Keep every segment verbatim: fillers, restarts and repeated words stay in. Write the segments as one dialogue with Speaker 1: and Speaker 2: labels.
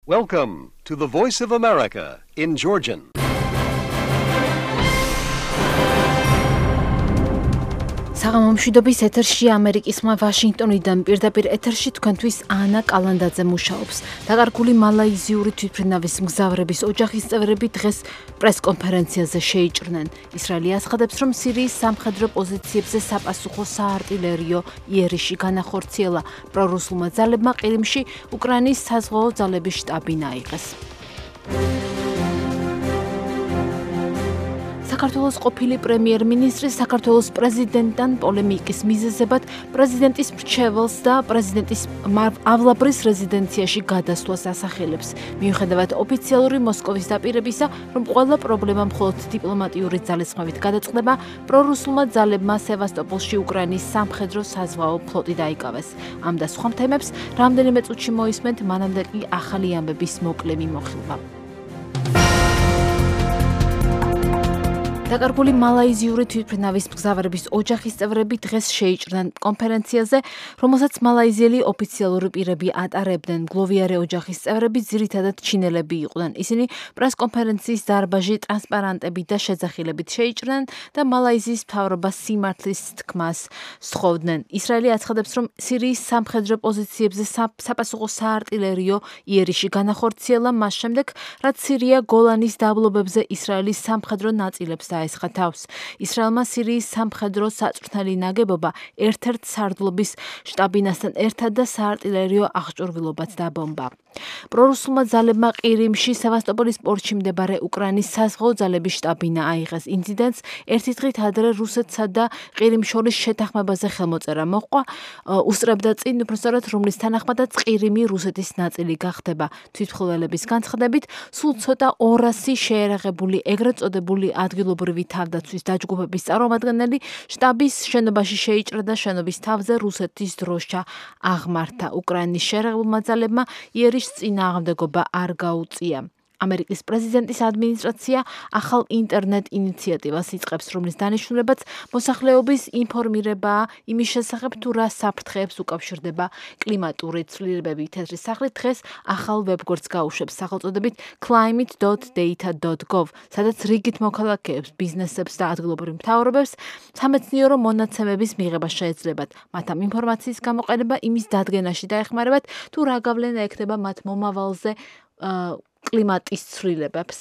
Speaker 1: Welcome to the Voice of America in Georgian.
Speaker 2: საღამომშვიდობის ეთერში ამერიკის ხმა ვაშინგტონიდან პირდაპირ ეთერში თქვენთვის ანა კალანდაძე მუშაობს. დაკარგული მალაიზიური თვითმფრინავის მგზავრების ოჯახის წევრები დღეს პრესკონფერენციაზე შეიჭრნენ. ისრაელი აცხადებს, რომ სირიის სამხედრო პოზიციებზე საპასუხო საარტილერიო იერიში განახორციელა. პრორუსულმა ძალებმა ყირიმში უკრაინის საზღვაო ძალების შტაბი აიღეს. საქართველოს ყოფილი პრემიერ-მინისტრი საქართველოს პრეზიდენტთან პოლემიკის მიზეზებად პრეზიდენტის მრჩეველს და პრეზიდენტის ავლაბრის რეზიდენციაში გადასვლას ასახელებს. მიუხედავად ოფიციალური მოსკოვის დაპირებისა, რომ ყველა პრობლემა მხოლოდ დიპლომატიური ძალისხმევით გადაწყდება, პრორუსულმა ძალებმა სევასტოპოლში უკრაინის სამხედრო საზღვაო ფლოტი დაიკავეს. ამ და სხვა თემებს რამდენიმე წუთში მოისმენთ, მანამდე კი ახალი ამბების მოკლე მიმოხილვა. დაკარგული მალაიზიური თვითმფრინავის მგზავრების ოჯახის წევრები დღეს შეიჭრნენ კონფერენციაზე, რომელსაც მალაიზიელი ოფიციალური პირები ატარებდნენ. მგლოვიარე ოჯახის წევრები ძირითადად ჩინელები იყვნენ. ისინი პრესკონფერენციის დარბაზში ტრანსპარანტებით და შეძახილებით შეიჭრნენ და მალაიზიის მთავრობას სიმართლის თქმას სთხოვდნენ. ისრაელი აცხადებს, რომ სირიის სამხედრო პოზიციებზე საპასუხო საარტილერიო იერიში განახორციელა მას შემდეგ, რაც სირია გოლანის დაბლობებზე ისრაელის სამხედრო ნაწილებს დაესხა თავს. ისრაელმა სირიის სამხედრო საწვრთნელი ნაგებობა ერთ-ერთ სარდლობის შტაბინასთან ერთად და საარტილერიო აღჭურვილობაც დაბომბა. პრორუსულმა ძალებმა ყირიმში სევასტოპოლის პორტში მდებარე უკრაინის საზღვაო ძალების შტაბინა აიღეს. ინციდენტს ერთი დღით ადრე რუსეთსა და ყირიმს შორის შეთანხმებაზე ხელმოწერა მოჰყვა, უსწრებდა წინ, უბრალოდ რომლის თანახმადაც ყირიმი რუსეთის ნაწილი გახდება. თვითმხილველების განცხადებით, სულ ცოტა ორასი შეერაღებული ეგრეთ წოდებული ადგილობრივი თავდაცვის დაჯგუფების წარმომადგენელი შტაბის შენობაში შეიჭრა და შენობის თავზე რუსეთის დროშა აღმართა. უკრაინის შეერაღებულმა ძალებმა იერიშ წინააღმდეგობა არ გაუწია. ამერიკის პრეზიდენტის ადმინისტრაცია ახალ ინტერნეტ ინიციატივას იწყებს, რომლის დანიშნულებაც მოსახლეობის ინფორმირებაა იმის შესახებ, თუ რა საფრთხეებს უკავშირდება კლიმატური ცვლილებები. თეთრი სახლი დღეს ახალ ვებგვერდს გაუშვებს სახელწოდებით climate dot data dot gov, სადაც რიგით მოქალაქეებს, ბიზნესებს და ადგილობრივ მთავრობებს სამეცნიერო მონაცემების მიღება შეეძლებათ. მათ ამ ინფორმაციის გამოყენება იმის დადგენაში დაეხმარებათ, თუ რა გავლენა ექნება მათ მომავალზე კლიმატის ცვლილებებს.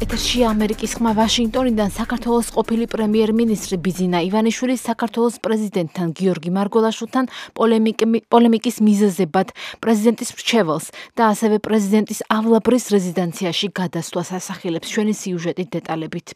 Speaker 2: ეთერში ამერიკის ხმა ვაშინგტონიდან საქართველოს ყოფილი პრემიერ-მინისტრი ბიძინა ივანიშვილი საქართველოს პრეზიდენტთან გიორგი მარგველაშვილთან პოლემიკის მიზეზებად პრეზიდენტის მრჩეველს და ასევე პრეზიდენტის ავლაბრის რეზიდენციაში გადასვლას ასახელებს. ჩვენი სიუჟეტით დეტალებით.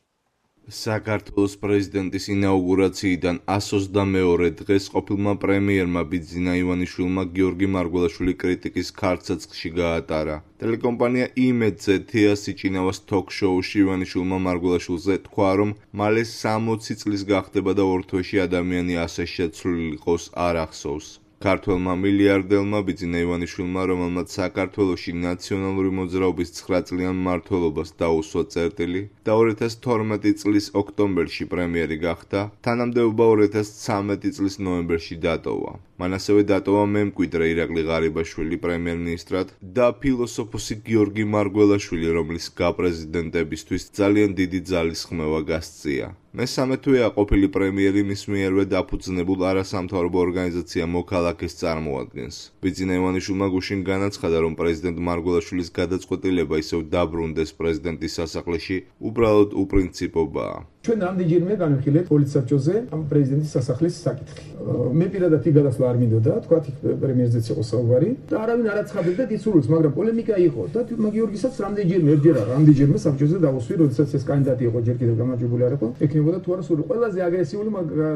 Speaker 3: საქართველოს პრეზიდენტის ინაუგურაციიდან ასს ოცდამეორე დღეს ყოფილმა პრემიერმა ბიძინა ივანიშვილმა გიორგი მარგველაშვილი კრიტიკის ქარცეცხლში გაატარა. ტელეკომპანია იმედზე თეა სიჭინავას თოქ-შოუში ივანიშვილმა მარგველაშვილზე თქვა, რომ მალე სამოცი წლის გახდება და ორ თვეში ადამიანი ასე შეცვლილი იყოს არ ახსოვს. ქართველმა მილიარდელმა ბიძინა ივანიშვილმა, რომელმაც საქართველოში ნაციონალური მოძრაობის ცხრაწლიან მმართველობას დაუსვა წერტილი და ორი ათას თორმეტი წლის ოქტომბერში პრემიერი გახდა, თანამდებობა ორი ათას ცხრამეტი წლის ნოემბერში დატოვა. მან ასევე დატოვა მემკვიდრე ირაკლი ღარიბაშვილი პრემიერ-მინისტრად და ფილოსოფოსი გიორგი მარგველაშვილი, რომლის გაპრეზიდენტებისთვის ძალიან დიდი ძალისხმევა გასწია. მესამე თვეა ყოფილი პრემიერი მის მიერვე დაფუძნებულ არასამთავრობო ორგანიზაცია მოქალაქეს წარმოადგენს. ბიძინა ივანიშვილმა გუშინ განაცხადა, რომ პრეზიდენტ მარგველაშვილის გადაწყვეტილება ისევ დაბრუნდეს პრეზიდენტის სასახლეში უბრალოდ უპრინციპობაა.
Speaker 4: ჩვენ რამდენჯერმე განვიხილეთ პოლიცსაბჭოზე ამ პრეზიდენტის სასახლის საკითხი. მე პირადად იქ გადასვლა არ მინდოდა, თქვა იქ პრემიერზეც იყო საუბარი და არავინ არ აცხადებდა დისურვილს, მაგრამ პოლემიკა იყო და გიორგისაც რამდენჯერმე ერთჯერ არა, რამდენჯერმე საბჭოზე დავუსვი, როდესაც ეს კანდიდატი იყო, ჯერ კიდევ გამარჯვებული არ იყო, ექნებოდა თუ არა სული. ყველაზე აგრესიული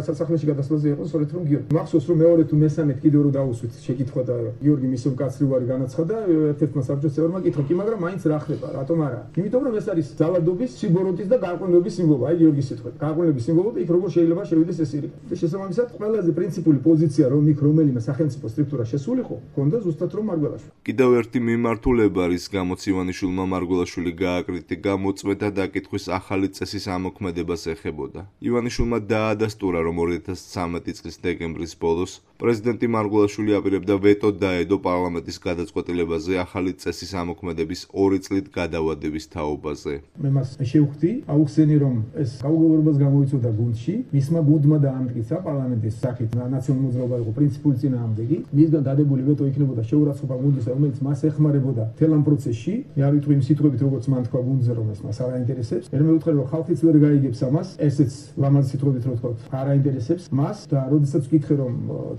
Speaker 4: სასახლეში გადასვლაზე იყო სწორედ რომ გიორგი. მახსოვს რომ მეორე თუ მესამედ კიდევ რო დავუსვით შეკითხვა და გიორგი მისო მკაცრი უარი განაცხადა, ერთ-ერთმა საბჭოს წევრმა კითხა, კი მაგრამ მაინც რა ხდება, რატომ არა? იმიტომ რომ ეს არის ძალადობის, სიბოროტის და გარყვნილების სიმბოლო. აი გიორგი გიორგის სიტყვით. გაყოლების სიმბოლო და იქ როგორ შეიძლება შევიდეს ეს ირგვლივ. და შესაბამისად, ყველაზე პრინციპული პოზიცია რომ იქ რომელიმე სახელმწიფო სტრუქტურა შესულიყო, ჰქონდა ზუსტად რომ მარგველაშვილი.
Speaker 3: კიდევ ერთი მიმართულება, რის გამოც ივანიშვილმა მარგველაშვილი გააკრიტიკა, მოწმეთა დაკითხვის ახალი წესის ამოქმედებას ეხებოდა. ივანიშვილმა დაადასტურა, რომ ორი ათას ცხრამეტი წლის დეკემბრის ბოლოს პრეზიდენტი მარგველაშვილი აპირებდა ვეტო დაედო პარლამენტის გადაწყვეტილებაზე ახალი წესის ამოქმედების ორი წლით გადავადების თაობაზე.
Speaker 4: მე მას შევხვდი, აუხსენი რომ ეს გაუგებრობას გამოიწვევდა გუნდში, მისმა გუნდმა დაამტკიცა პარლამენტის სახით ნაციონალური მოძრაობა იყო პრინციპული წინააღმდეგი, მისგან დადებული ვეტო იქნებოდა შეურაცხყოფა გუნდისა, რომელიც მას ეხმარებოდა მთელ ამ პროცესში. მე არ ვიტყვი იმ სიტყვებით, როგორც მან თქვა გუნდზე, რომ ეს მას არ აინტერესებს. მე მევუთხარი რომ ხალხიც ვერ გაიგებს ამას, ესეც ლამაზი სიტყვებით რო თქვა, არ აინტერესებს მას და როდესაც ვკითხე რომ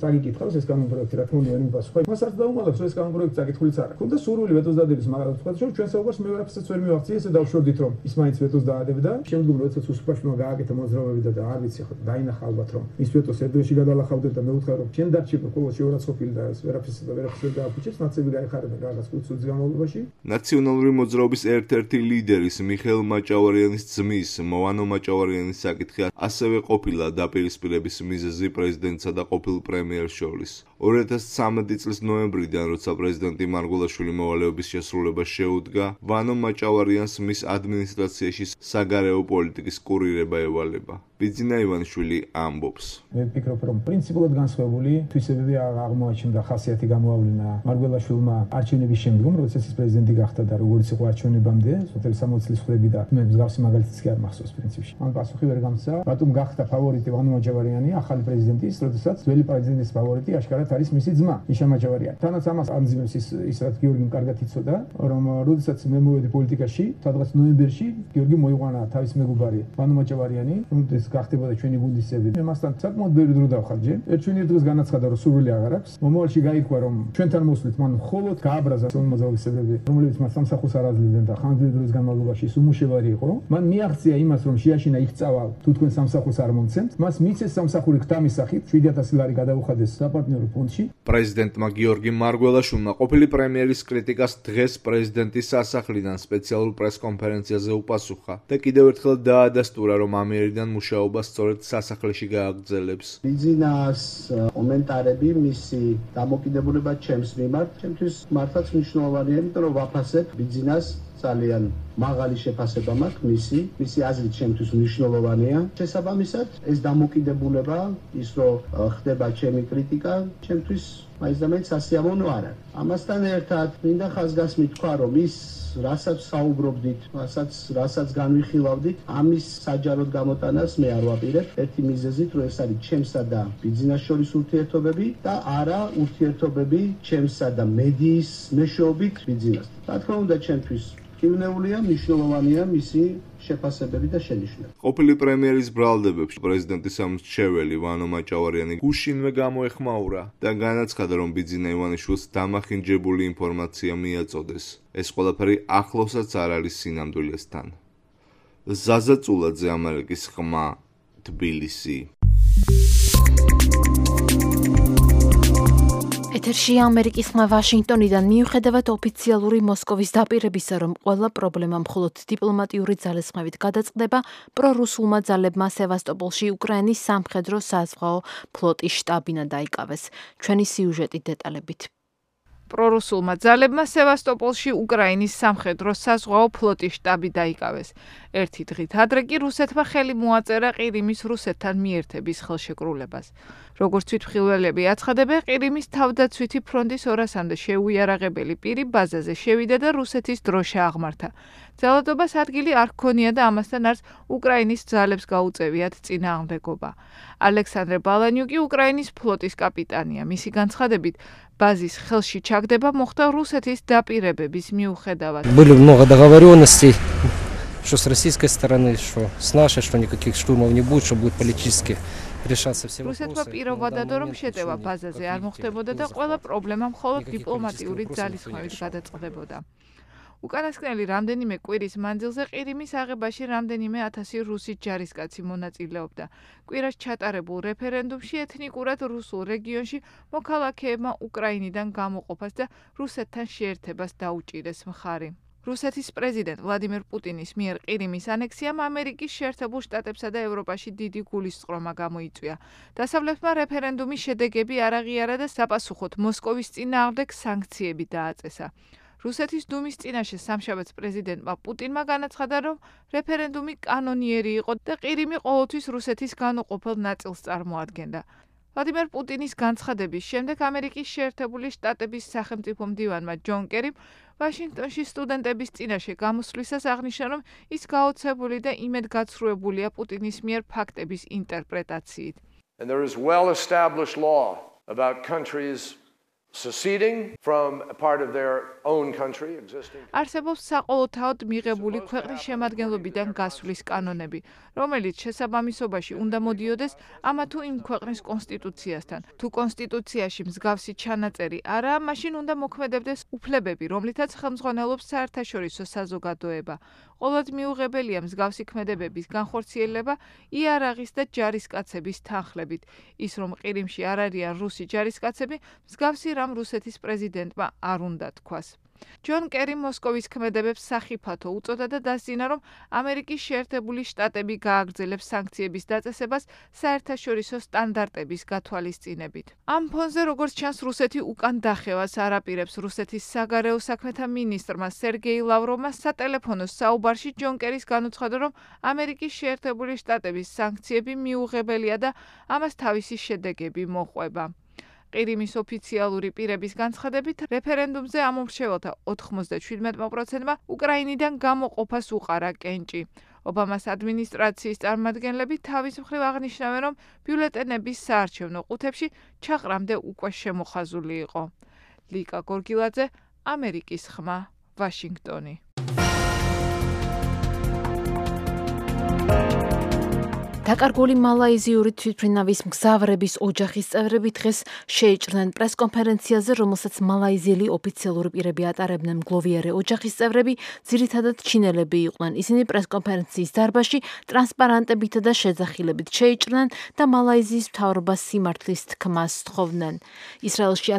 Speaker 4: წაგიკითხავს ეს კანონპროექტი, რა თქმა უნდა ვერ მიპასუხა. მას არც დაუმალავს, რომ ეს კანონპროექტი წაკითხულიც არ აქვს. და სურვილი ვეტოს დადების, მაგრამ თქვა რომ ჩვენ საუბარს მე ვერაფერსაც ვერ მივახცი, ესე დავშორდით რომ ის მაინც ვეტოს დაადებდა. შემდგომ როდესაც უსუფაშვილმა გააკეთა მოძრაობები და არ ვიცი ხო დაინახა ალბათ რომ ის ვეტოს ერთდროში გადალახავდნენ და მე ვუთხარ რომ ჩვენ დარჩება ყოველ შეურაცხყოფილი და ეს ვერაფერს და ვერაფერს ვერ გააფუჭებს, ნაცები გაიხარებენ რაღაც ხუთი განმავლობაში.
Speaker 3: ნაციონალური მოძრაობის ერთ-ერთი ლიდერის მიხეილ მაჭავარიანის ძმის მოვანო მაჭავარიანის საკითხი ასევე ყოფილა დაპირისპირების მიზეზი პრეზიდენტსა და ყოფილ პრემიერს შორის. ორი ათას ცხრამეტი წლის ნოემბრიდან, როცა პრეზიდენტი მარგველაშვილი მოვალეობის შესრულებას შეუდგა, ვანო მაჭავარიანს მის ადმინისტრაციაში საგარეო პოლიტიკის კურირება ევალება. ბიძინა ივანიშვილი ამბობს.
Speaker 4: მე ვფიქრობ, რომ პრინციპულად განსხვავებული თვისებები აღმოაჩნდა, ხასიათი გამოავლინა მარგველაშვილმა არჩევნების შემდგომ, როდესაც ის პრეზიდენტი გახდა და როგორც იყო არჩევნებამდე, სოთელი სამოცი წლის ხვდები და მე მსგავსი მაგალითიც კი არ მახსოვს პრინციპში. მან პასუხი ვერ გამცა, რატომ გახდა ფავორიტი ვანო მაჭავარიანი ახალი პრეზიდენტის, როდესაც ძველი პრეზიდენტის ფავორიტი აშკარად არის მისი ძმა, ნიშა მაჭავარიანი. თანაც ამას ამძიმებს ის ის რაც გიორგიმ კარგად იცოდა, რომ როდესაც მე მოვედი პოლიტიკაში, სადღაც ნოემბერში გიორგი მოიყვანა თავის მეგობარი ვანო მაჭავარიანი, რომელიც გახდებოდა ჩვენი გუნდის წევრი. მე მასთან საკმაოდ ბევრი დრო დავხარჯე. ერთ ჩვენი დღეს განაცხადა, რომ სურვილი აღარ აქვს. მომავალში გაირკვა, რომ ჩვენთან მოსვლით მან მხოლოდ გააბრაზა მოძრაობის წევრები, რომლებიც მას სამსახურს არ აძლევდნენ და ხანგრძლივი დროის განმავლობაში ის უმუშევარი იყო. მან მიაღწია იმას, რომ შეაშინა იქ წავალ, თუ თქვენ სამსახურს არ მომცემთ. მას მიცეს სამსახური ღვთამის სახით, შვიდი ათასი ლარი გადაუხადეს საპარტნიორო ფონდში.
Speaker 3: პრეზიდენტმა გიორგი მარგველაშვილმა ყოფილი პრემიერის კრიტიკას დღეს პრეზიდენტის სასახლიდან სპეციალურ პრესკონფერენციაზე უპასუხა და კიდევ ერთხელ დაადასტურა, რომ ამიერიდან მუშაობა სწორედ სასახლეში გააგრძელებს.
Speaker 5: ბიძინას კომენტარები მისი დამოკიდებულება ჩემს მიმართ, ჩემთვის მართლაც მნიშვნელოვანია, იმიტომ რომ ვაფასებ ბიძინას ძალიან მაღალი შეფასება მაქვს მისი, მისი აზრით ჩემთვის მნიშვნელოვანია. შესაბამისად, ეს დამოკიდებულება, ის რომ ხდება ჩემი კრიტიკა, ჩემთვის მაინც და მაინც სასიამოვნო არ არის. ამასთან ერთად, მინდა ხაზგასმით თქვა, რომ ის რასაც საუბრობდით, რასაც რასაც განვიხილავდით, ამის საჯაროდ გამოტანას მე არ ვაპირებ. ერთი მიზეზით, რომ ეს არის ჩემსა და ბიძინას შორის ურთიერთობები და არა ურთიერთობები ჩემსა და მედიის მეშვეობით ბიძინასთან. რა თქმა უნდა, ჩემთვის კივნეულია, მნიშვნელოვანია მისი შეფასებები და შენიშვნები.
Speaker 3: ყოფილი პრემიერის ბრალდებებში პრეზიდენტის სამრჩეველი ვანო მაჭავარიანი გუშინვე გამოეხმაურა და განაცხადა, რომ ბიძინა ივანიშვილს დამახინჯებული ინფორმაცია მიაწოდეს. ეს ყველაფერი ახლოსაც არ არის სინამდვილესთან. ზაზა წულაძე, ამერიკის ხმა, თბილისი.
Speaker 2: ეთერში ამერიკის ხმა ვაშინგტონიდან. მიუხედავად ოფიციალური მოსკოვის დაპირებისა, რომ ყველა პრობლემა მხოლოდ დიპლომატიური ძალისხმევით გადაწყდება, პრორუსულმა ძალებმა სევასტოპოლში უკრაინის სამხედრო საზღვაო ფლოტის შტაბინა დაიკავეს. ჩვენი სიუჟეტი დეტალებით.
Speaker 6: პრორუსულმა ძალებმა სევასტოპოლში უკრაინის სამხედრო საზღვაო ფლოტის შტაბი დაიკავეს. ერთი დღით ადრე კი რუსეთმა ხელი მოაწერა ყირიმის რუსეთთან მიერთების ხელშეკრულებას. როგორც თვითმხილველები აცხადებენ, ყირიმის თავდაცვითი ფრონტის ორასამდე შეუიარაღებელი პირი ბაზაზე შევიდა და რუსეთის დროშა აღმართა. ძალადობას ადგილი არ ჰქონია და ამასთან არც უკრაინის ძალებს გაუწევიათ წინააღმდეგობა. ალექსანდრე ბალანიუკი უკრაინის ფლოტის კაპიტანია. მისი განცხადებით, ბაზის ხელში ჩაგდება მოხდა რუსეთის დაპირებების მიუხედავად.
Speaker 7: Были много договоренностей, что с российской стороны, что с нашей, что никаких штурмов не будет, что будет политически решаться все вопросы.
Speaker 6: რუსეთმა პირობადადო, რომ შეტევა ბაზაზე არ მოხდებოდა და ყველა პრობლემა მხოლოდ დიპლომატიური ძალისხმევით გადაწყდებოდა. უკანასკნელი რამდენიმე კვირის მანძილზე ყირიმის აღებაში რამდენიმე ათასი რუსი ჯარისკაცი მონაწილეობდა. კვირას ჩატარებულ რეფერენდუმში ეთნიკურად რუსულ რეგიონში მოქალაქეებმა უკრაინიდან გამოყოფას და რუსეთთან შეერთებას დაუჭირეს მხარი. რუსეთის პრეზიდენტ ვლადიმერ პუტინის მიერ ყირიმის ანექსიამ ამერიკის შეერთებულ შტატებსა და ევროპაში დიდი გულისწყრომა გამოიწვია. დასავლეთმა რეფერენდუმის შედეგები არ აღიარა და საპასუხოდ მოსკოვის წინააღმდეგ სანქციები დააწესა. რუსეთის დუმის წინაშე სამშაბათს პრეზიდენტმა პუტინმა განაცხადა, რომ რეფერენდუმი კანონიერი იყო და ყირიმი ყოველთვის რუსეთის განუყოფელ ნაწილს წარმოადგენდა. ვლადიმერ პუტინის განცხადების შემდეგ ამერიკის შეერთებული შტატების სახელმწიფო მდივანმა ჯონ კერიმ ვაშინგტონში სტუდენტების წინაშე გამოსვლისას აღნიშნა, რომ ის გაოცებული და იმედგაცრუებულია პუტინის მიერ ფაქტების ინტერპრეტაციით.
Speaker 8: And there is well-established law about countries seceding from a part of their own country existing.
Speaker 6: არსებობს საყოველთაოდ მიღებული ქვეყნის შემადგენლობიდან გასვლის კანონები, რომელიც შესაბამისობაში უნდა მოდიოდეს ამა თუ იმ ქვეყნის კონსტიტუციასთან. თუ კონსტიტუციაში მსგავსი ჩანაწერი არაა, მაშინ უნდა მოქმედებდეს უფლებები, რომლითაც ხელმძღვანელობს საერთაშორისო საზოგადოება. ყოველთ მიუღებელია მსგავსი ქმედებების განხორციელება იარაღის და ჯარისკაცების თანხლებით. ის რომ ყირიმში არ არიან რუსი ჯარისკაცები, მსგავსი რამ რუსეთის პრეზიდენტმა არ უნდა თქვას. ჯონ კერიმ მოსკოვის ქმედებებს სახიფათო უწოდა და დასძინა, რომ ამერიკის შეერთებული შტატები გააგრძელებს სანქციების დაწესებას საერთაშორისო სტანდარტების გათვალისწინებით. ამ ფონზე, როგორც ჩანს, რუსეთი უკან დახევას არ აპირებს. რუსეთის საგარეო საქმეთა მინისტრმა სერგეი ლავროვმა სატელეფონო საუბარში ჯონ კერის განუცხადა, რომ ამერიკის შეერთებული შტატების სანქციები მიუღებელია და ამას თავისი შედეგები მოჰყვება. ყირიმის ოფიციალური პირების განცხადებით, რეფერენდუმზე ამომრჩეველთა ოთხმოცდაშვიდმეტ პროცენტმა უკრაინიდან გამოყოფას უყარა კენჭი. ობამას ადმინისტრაციის წარმომადგენლები თავის მხრივ აღნიშნავენ, რომ ბიულეტენების საარჩევნო ყუთებში ჩაყრამდე უკვე შემოხაზული იყო. ლიკა გორგილაძე, ამერიკის ხმა, ვაშინგტონი.
Speaker 2: დაკარგული მალაიზიური თვითმფრინავის მგზავრების ოჯახის წევრები დღეს შეიჭრნენ პრესკონფერენციაზე, რომელსაც მალაიზიელი ოფიციალური პირები ატარებდნენ. მგლოვიარე ოჯახის წევრები ძირითადად ჩინელები იყვნენ. ისინი პრესკონფერენციის დარბაზში ტრანსპარანტებითა და შეძახილებით შეიჭრნენ და მალაიზიის მთავრობას სიმართლის თქმას სთხოვდნენ. ისრაელში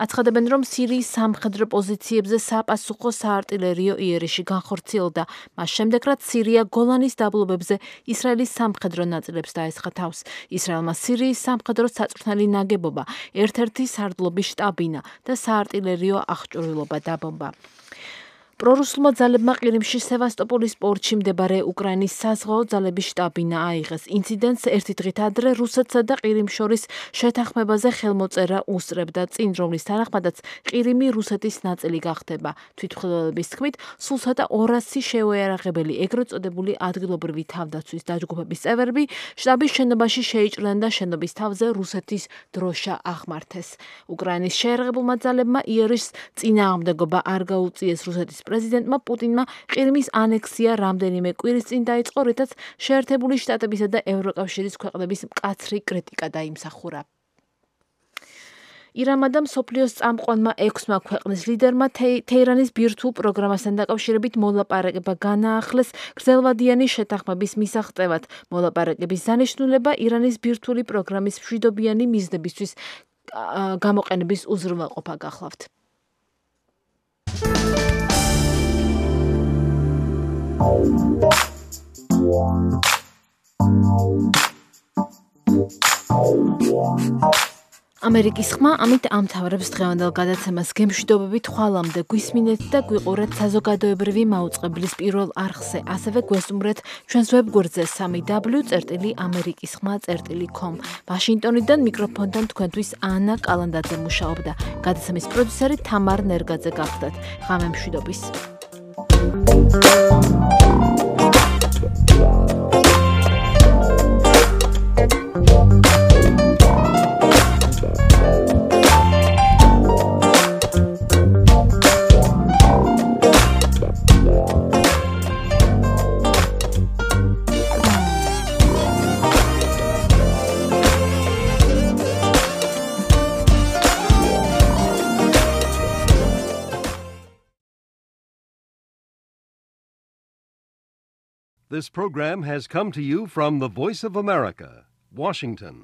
Speaker 2: აცხადებენ, რომ სირიის სამხედრო პოზიციებზე საპასუხო საარტილერიო იერიში განხორციელდა. მას შემდეგ, რაც სირია გოლანის დაბლობებზე ისრაელის სამხედრო ნაწილებს დაესხა თავს. ისრაელმა სირიის სამხედრო საწვრთნელი ნაგებობა, ერთ-ერთი სარდლობის შტაბინა და საარტილერიო აღჭურვილობა დაბომბა. პრორუსულმა ძალებმა ყირიმში სევასტოპოლის პორტში მდებარე უკრაინის საზღვაო ძალების შტაბინა აიღეს. ინციდენტს ერთი დღით ადრე რუსეთსა და ყირიმს შორის შეთანხმებაზე ხელმოწერა უსწრებდა წინ, რომლის თანახმადაც ყირიმი რუსეთის ნაწილი გახდება. თვითმხილველების თქმით, სულ ცოტა ორასი შეუიარაღებელი ეგრეთ წოდებული ადგილობრივი თავდაცვის დაჯგუფების წევრები შტაბის შენობაში შეიჭრნენ და შენობის თავზე რუსეთის დროშა აღმართეს. უკრაინის შეიარაღებულმა ძალებმა იერიშს წინააღმდეგობა არ გაუწიეს რუსეთის პრეზიდენტმა პუტინმა ყირიმის ანექსია რამდენიმე კვირის წინ დაიწყო, რითაც შეერთებული შტატებისა და ევროკავშირის ქვეყნების მკაცრი კრიტიკა დაიმსახურა. ირანმა და მსოფლიოს წამყვანმა ექვსმა ქვეყნის ლიდერმა თეირანის ბირთვულ პროგრამასთან დაკავშირებით მოლაპარაკება განაახლეს გრძელვადიანი შეთანხმების მისაღწევად. მოლაპარაკების დანიშნულება ირანის ბირთვული პროგრამის მშვიდობიანი მიზნებისთვის გამოყენების უზრუნველყოფა გახლავთ. ამერიკის ხმა ამით ამთავრებს დღევანდელ გადაცემას. გემშვიდობებით ხვალამდე გვისმინეთ და გვიყურეთ საზოგადოებრივი მაუწყებლის პირველ არხზე. ასევე გვესტუმრეთ ჩვენს ვებგვერდზე სამი დაბლიუ წერტილი ამერიკის ხმა წერტილი კომ. ვაშინგტონიდან მიკროფონთან თქვენთვის ანა კალანდაძე მუშაობდა. გადაცემის პროდიუსერი თამარ ნერგაძე გახლდათ. ღამე მშვიდობის.
Speaker 1: This program has come to you from the Voice of America, Washington.